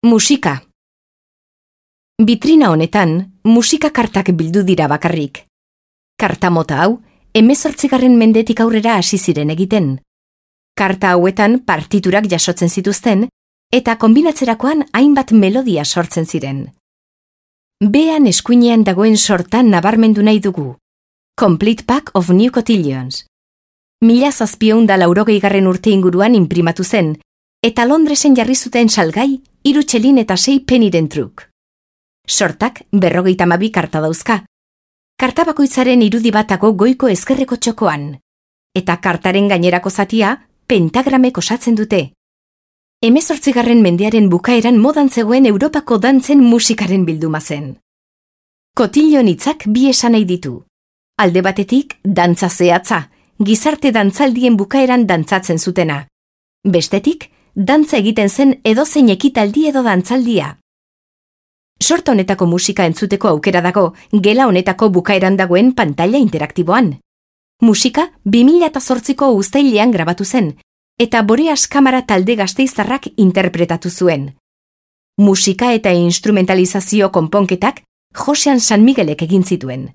Musika. Bitrina honetan, musika kartak bildu dira bakarrik. Karta mota hau, 18. mendetik aurrera hasi ziren egiten. Karta hauetan partiturak jasotzen zituzten, eta konbinatzerakoan hainbat melodia sortzen ziren. Bean eskuinean dagoen sortan nabarmendu nahi dugu. Complete Pack of New Cotillions. 1780 urte inguruan inprimatu zen, eta Londresen jarri zuten salgai 3 txelin eta 6 peniren truk. Sortak 52 karta dauzka. Karta bakoitzaren irudi batako goiko ezkerreko txokoan, eta kartaren gainerako zatia pentagramek osatzen dute. 18. mendearen bukaeran modan zegoen Europako dantzen musikaren bilduma zen. Kotillon hitzak bi esan nahi ditu. Alde batetik, dantza zehatza, gizarte dantzaldien bukaeran dantzatzen zutena. Bestetik, dantza egiten zen edozein ekitaldi edo dantzaldia. Sorta honetako musika entzuteko aukera dago, gela honetako bukaeran dagoen pantaila interaktiboan. Musika 2008ko uztailean grabatu zen, eta Boreas Kamara talde gasteiztarrak interpretatu zuen. Musika eta instrumentalizazio konponketak Josean San Miguelek egin zituen.